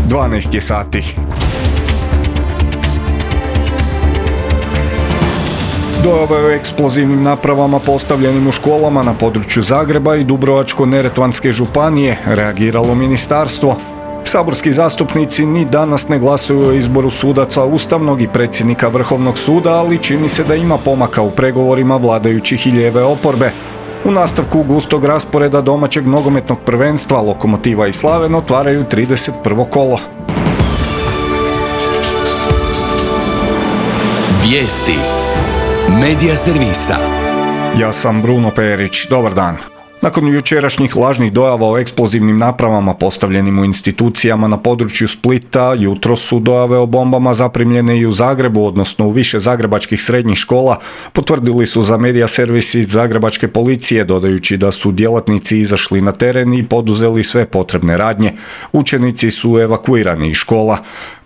12 je sati. Dojave o eksplozivnim napravama postavljenim u školama na području Zagreba i Dubrovačko-neretvanske županije reagiralo ministarstvo. Saborski zastupnici ni danas ne glasuju o izboru sudaca Ustavnog i predsjednika Vrhovnog suda, ali čini se da ima pomaka u pregovorima vladajućih i lijeve oporbe. U nastavku gustog rasporeda domaćeg nogometnog prvenstva Lokomotiva i Slaven otvaraju 31. kolo. Vijesti Medija servisa. Ja sam Bruno Perić, dobar dan. Nakon jučerašnjih lažnih dojava o eksplozivnim napravama postavljenim u institucijama na području Splita, jutros su dojave o bombama zaprimljene i u Zagrebu, odnosno u više zagrebačkih srednjih škola, potvrdili su za medija servis iz zagrebačke policije, dodajući da su djelatnici izašli na teren i poduzeli sve potrebne radnje. Učenici su evakuirani iz škola.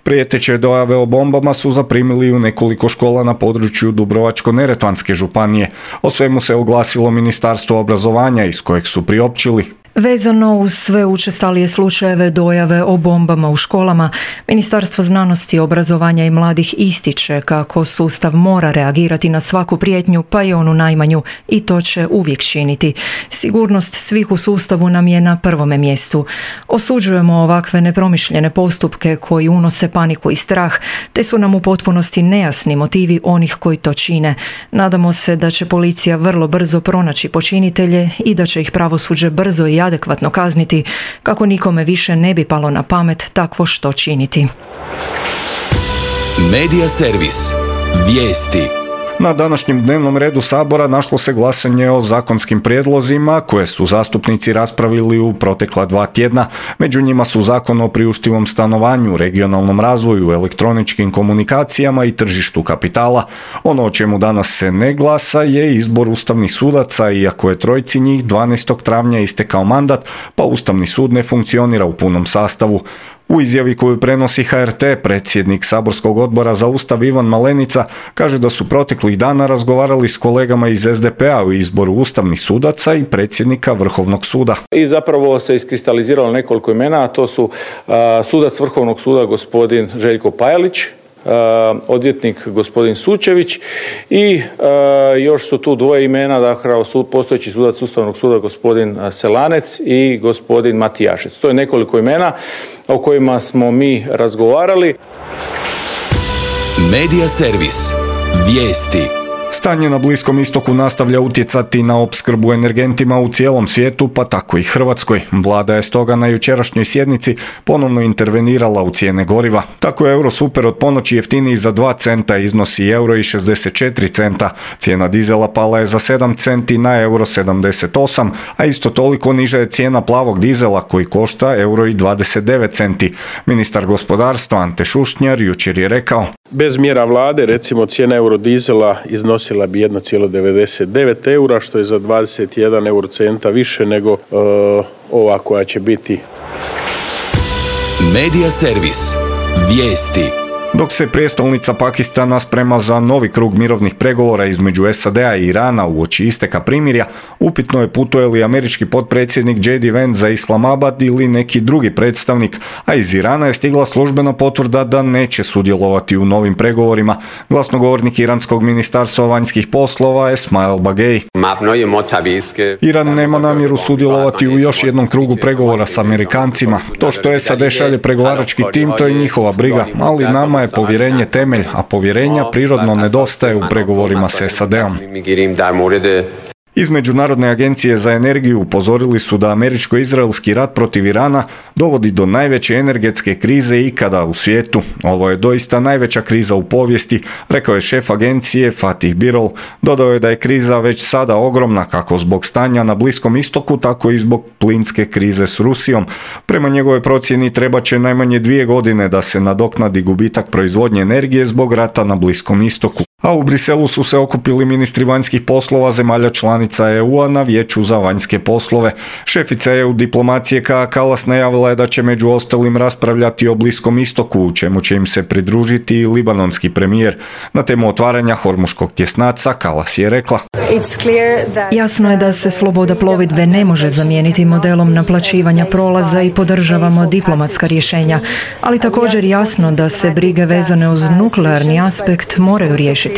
Prijeteće dojave o bombama su zaprimili u nekoliko škola na području Dubrovačko-neretvanske županije. O svemu se oglasilo Ministarstvo obrazovanja iz kojeg su priopćili. Vezano uz sve učestalije slučajeve dojave o bombama u školama, Ministarstvo znanosti, obrazovanja i mladih ističe kako sustav mora reagirati na svaku prijetnju, pa i onu najmanju, i to će uvijek činiti. Sigurnost svih u sustavu nam je na prvome mjestu. Osuđujemo ovakve nepromišljene postupke koji unose paniku i strah, te su nam u potpunosti nejasni motivi onih koji to čine. Nadamo se da će policija vrlo brzo pronaći počinitelje i da će ih pravosuđe brzo i adekvatno kazniti, kako nikome više ne bi palo na pamet takvo što činiti. Medija servis. Vijesti. Na današnjem dnevnom redu Sabora našlo se glasanje o zakonskim prijedlozima koje su zastupnici raspravili u protekla 2 tjedna. Među njima su Zakon o priuštivom stanovanju, regionalnom razvoju, elektroničkim komunikacijama i tržištu kapitala. Ono o čemu danas se ne glasa je izbor ustavnih sudaca, iako je trojici njih 12. travnja istekao mandat, pa Ustavni sud ne funkcionira u punom sastavu. U izjavi koju prenosi HRT, predsjednik saborskog odbora za Ustav Ivan Malenica kaže da su proteklih dana razgovarali s kolegama iz SDP-a o izboru ustavnih sudaca i predsjednika Vrhovnog suda. I zapravo se iskristaliziralo nekoliko imena, a to su sudac Vrhovnog suda gospodin Željko Pajalić, odvjetnik gospodin Sučević i još su tu 2 imena, dakle postojeći sudac Ustavnog suda gospodin Selanec i gospodin Matijašec. To je nekoliko imena o kojima smo mi razgovarali. Medija servis. Vijesti. Stanje na Bliskom istoku nastavlja utjecati na opskrbu energentima u cijelom svijetu, pa tako i Hrvatskoj. Vlada je stoga na jučerašnjoj sjednici ponovno intervenirala u cijene goriva. Tako je Eurosuper od ponoći jeftiniji za 2 centa, iznosi €1,64. Cijena dizela pala je za 7 centi na €1,78, a isto toliko niža je cijena plavog dizela koji košta €1,29. Ministar gospodarstva Ante Šušnjar jučer je rekao: bez mjera vlade, recimo, cijena eurodizela iznosila bi 1,99 eura, što je za 21 eurocenta više nego ova koja će biti. Medija servis. Vijesti. Dok se prijestolnica Pakistana sprema za novi krug mirovnih pregovora između SAD-a i Irana uoči isteka primirja, upitno je putuje li američki potpredsjednik J.D. Vance za Islamabad ili neki drugi predstavnik, a iz Irana je stigla službena potvrda da neće sudjelovati u novim pregovorima. Glasnogovornik iranskog ministarstva vanjskih poslova Esmail Bagej. Iran nema namjeru sudjelovati u još jednom krugu pregovora s Amerikancima. To što SAD šalje pregovarački tim, to je njihova briga, ali nama je povjerenje temelj, a povjerenja prirodno nedostaje u pregovorima s SAD-om. Iz Međunarodne agencije za energiju upozorili su da američko-izraelski rat protiv Irana dovodi do najveće energetske krize ikada u svijetu. Ovo je doista najveća kriza u povijesti, rekao je šef agencije Fatih Birol. Dodao je da je kriza već sada ogromna, kako zbog stanja na Bliskom istoku, tako i zbog plinske krize s Rusijom. Prema njegovoj procjeni trebat će najmanje 2 godine da se nadoknadi gubitak proizvodnje energije zbog rata na Bliskom istoku. A u Briselu su se okupili ministri vanjskih poslova zemalja članica EU-a na Vijeću za vanjske poslove. Šefica EU diplomacije Kaja Kallas najavila je da će među ostalim raspravljati o Bliskom istoku, u čemu će im se pridružiti i libanonski premijer. Na temu otvaranja Hormuškog tjesnaca Kallas je rekla: Jasno je da se sloboda plovidbe ne može zamijeniti modelom naplaćivanja prolaza i podržavamo diplomatska rješenja, ali također jasno da se brige vezane uz nuklearni aspekt moraju riješiti.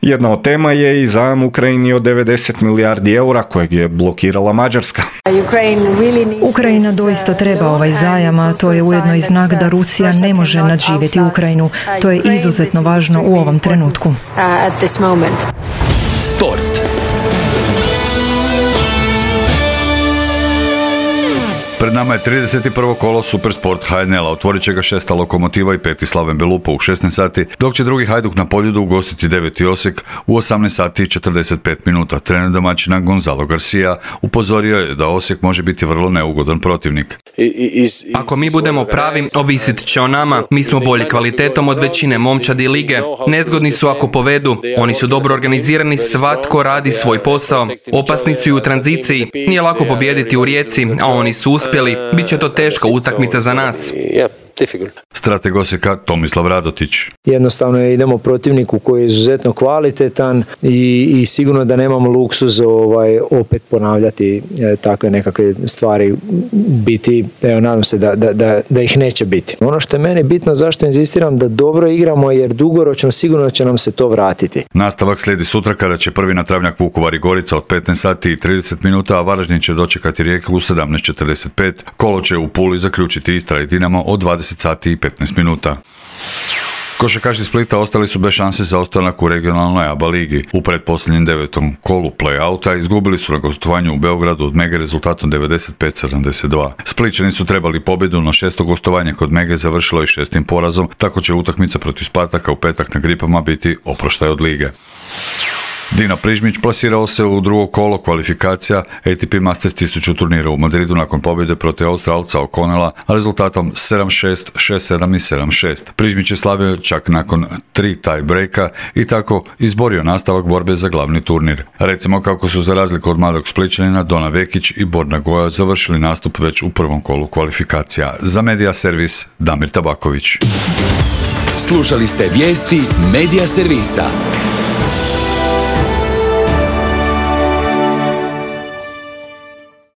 Jedna od tema je i zajam Ukrajini od 90 milijardi eura kojeg je blokirala Mađarska. Ukrajina doista treba ovaj zajam, a to je ujedno i znak da Rusija ne može nadživjeti Ukrajinu. To je izuzetno važno u ovom trenutku. Sport. Pred nama je 31. kolo Supersport HNL-a, otvorit će ga 6. Lokomotiva i 5. Slaven Belupo u 16 sati, dok će drugi Hajduk na Poljudu ugostiti 9. Osijek u 18 sati i 45 minuta. Trener domaćina Gonzalo Garcia upozorio je da Osijek može biti vrlo neugodan protivnik. Ako mi budemo pravi, ovisit će o nama. Mi smo bolji kvalitetom od većine momčadi lige. Nezgodni su ako povedu. Oni su dobro organizirani, svatko radi svoj posao. Opasni su i u tranziciji. Nije lako pobijediti u Rijeci, a oni su uspjeli. Biće to teška utakmica za nas. Strateg Osijeka Tomislav Radotić. Jednostavno idemo protivniku koji je izuzetno kvalitetan i sigurno da nemamo luksuz opet ponavljati takve nekakve stvari, biti, nadam se da ih neće biti. Ono što je meni bitno, zašto inzistiram da dobro igramo, jer dugoročno sigurno će nam se to vratiti. Nastavak slijedi sutra kada će prvi na travnjak Vukovar i Gorica od 15 sati i 30 minuta, a Varaždin će dočekati Rijeku u 17:45. Kolo će u Puli zaključiti Istra i Dinamo od 20 sati i 15 minuta. Košarkaši Splita ostali su bez šanse za ostanak u regionalnoj ABA ligi. U pretposljednjem 9. kolu play-outa izgubili su na gostovanju u Beogradu od Mege rezultatom 95-72. Splićani su trebali pobjedu, no 6. gostovanje kod Mege završilo i 6. porazom, tako će utakmica protiv Spartaka u petak na Gripama biti oproštaj od lige. Dino Prižmić plasirao se u drugo kolo kvalifikacija ATP Masters 1000 turnira u Madridu nakon pobjede protiv Australca O'Connella, a rezultatom 7-6, 6-7 i 7-6. Prižmić je slavio čak nakon 3 tie breaka i tako izborio nastavak borbe za glavni turnir. Recimo kako su za razliku od mladog Splićanina Dona Vekić i Borna Goja završili nastup već u prvom kolu kvalifikacija. Za Medija servis Damir Tabaković. Slušali ste vijesti Medija servisa.